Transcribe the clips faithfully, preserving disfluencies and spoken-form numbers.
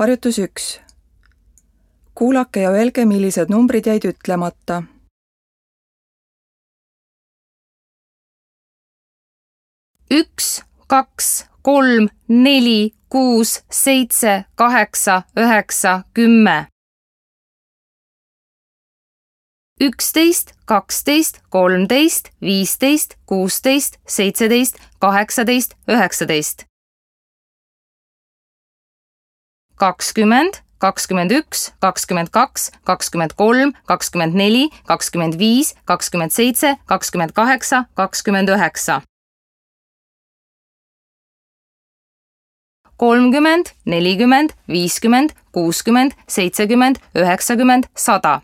Harjutus üks. Kuulake ja öelge, millised numbrid jäid ütlemata. üks, kaks, kolm, neli, kuus, seitse, kaheksa, üheksa, kümme. üksteist, kaksteist, kolmteist, viisteist, kuusteist, seitseteist, kaheksateist, üheksateist. kakskümmend, kakskümmend üks, kakskümmend kaks, kakskümmend kolm, kakskümmend neli, kakskümmend viis, kakskümmend seitse, kakskümmend kaheksa, kakskümmend üheksa. kolmkümmend, nelikümmend, viiskümmend, kuuskümmend, seitsekümmend, üheksakümmend, sada.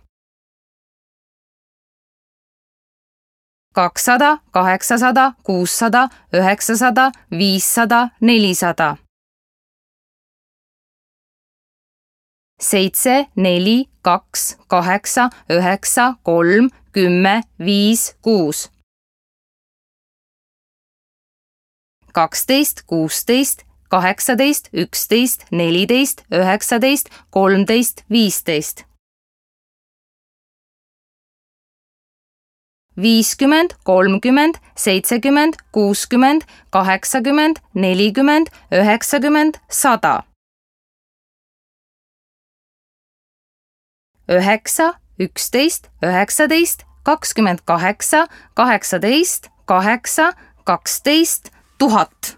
kakssada, kaheksasada, kuussada, üheksasada, viissada, nelisada. seitse, neli, kaks, kaheksa, üheksa, kolm, kümme, viis, kuus. kaksteist, kuusteist, kaheksateist, üksteist, neliteist, üheksateist, kolmteist, viisteist. viiskümmend, kolmkümmend, seitsekümmend, kuuskümmend, kaheksakümmend, nelikümmend, üheksakümmend, sada. üheksa, üksteist, üheksateist, kakskümmend kaheksa, kaheksateist, kaheksa, kaksteist, tuhat.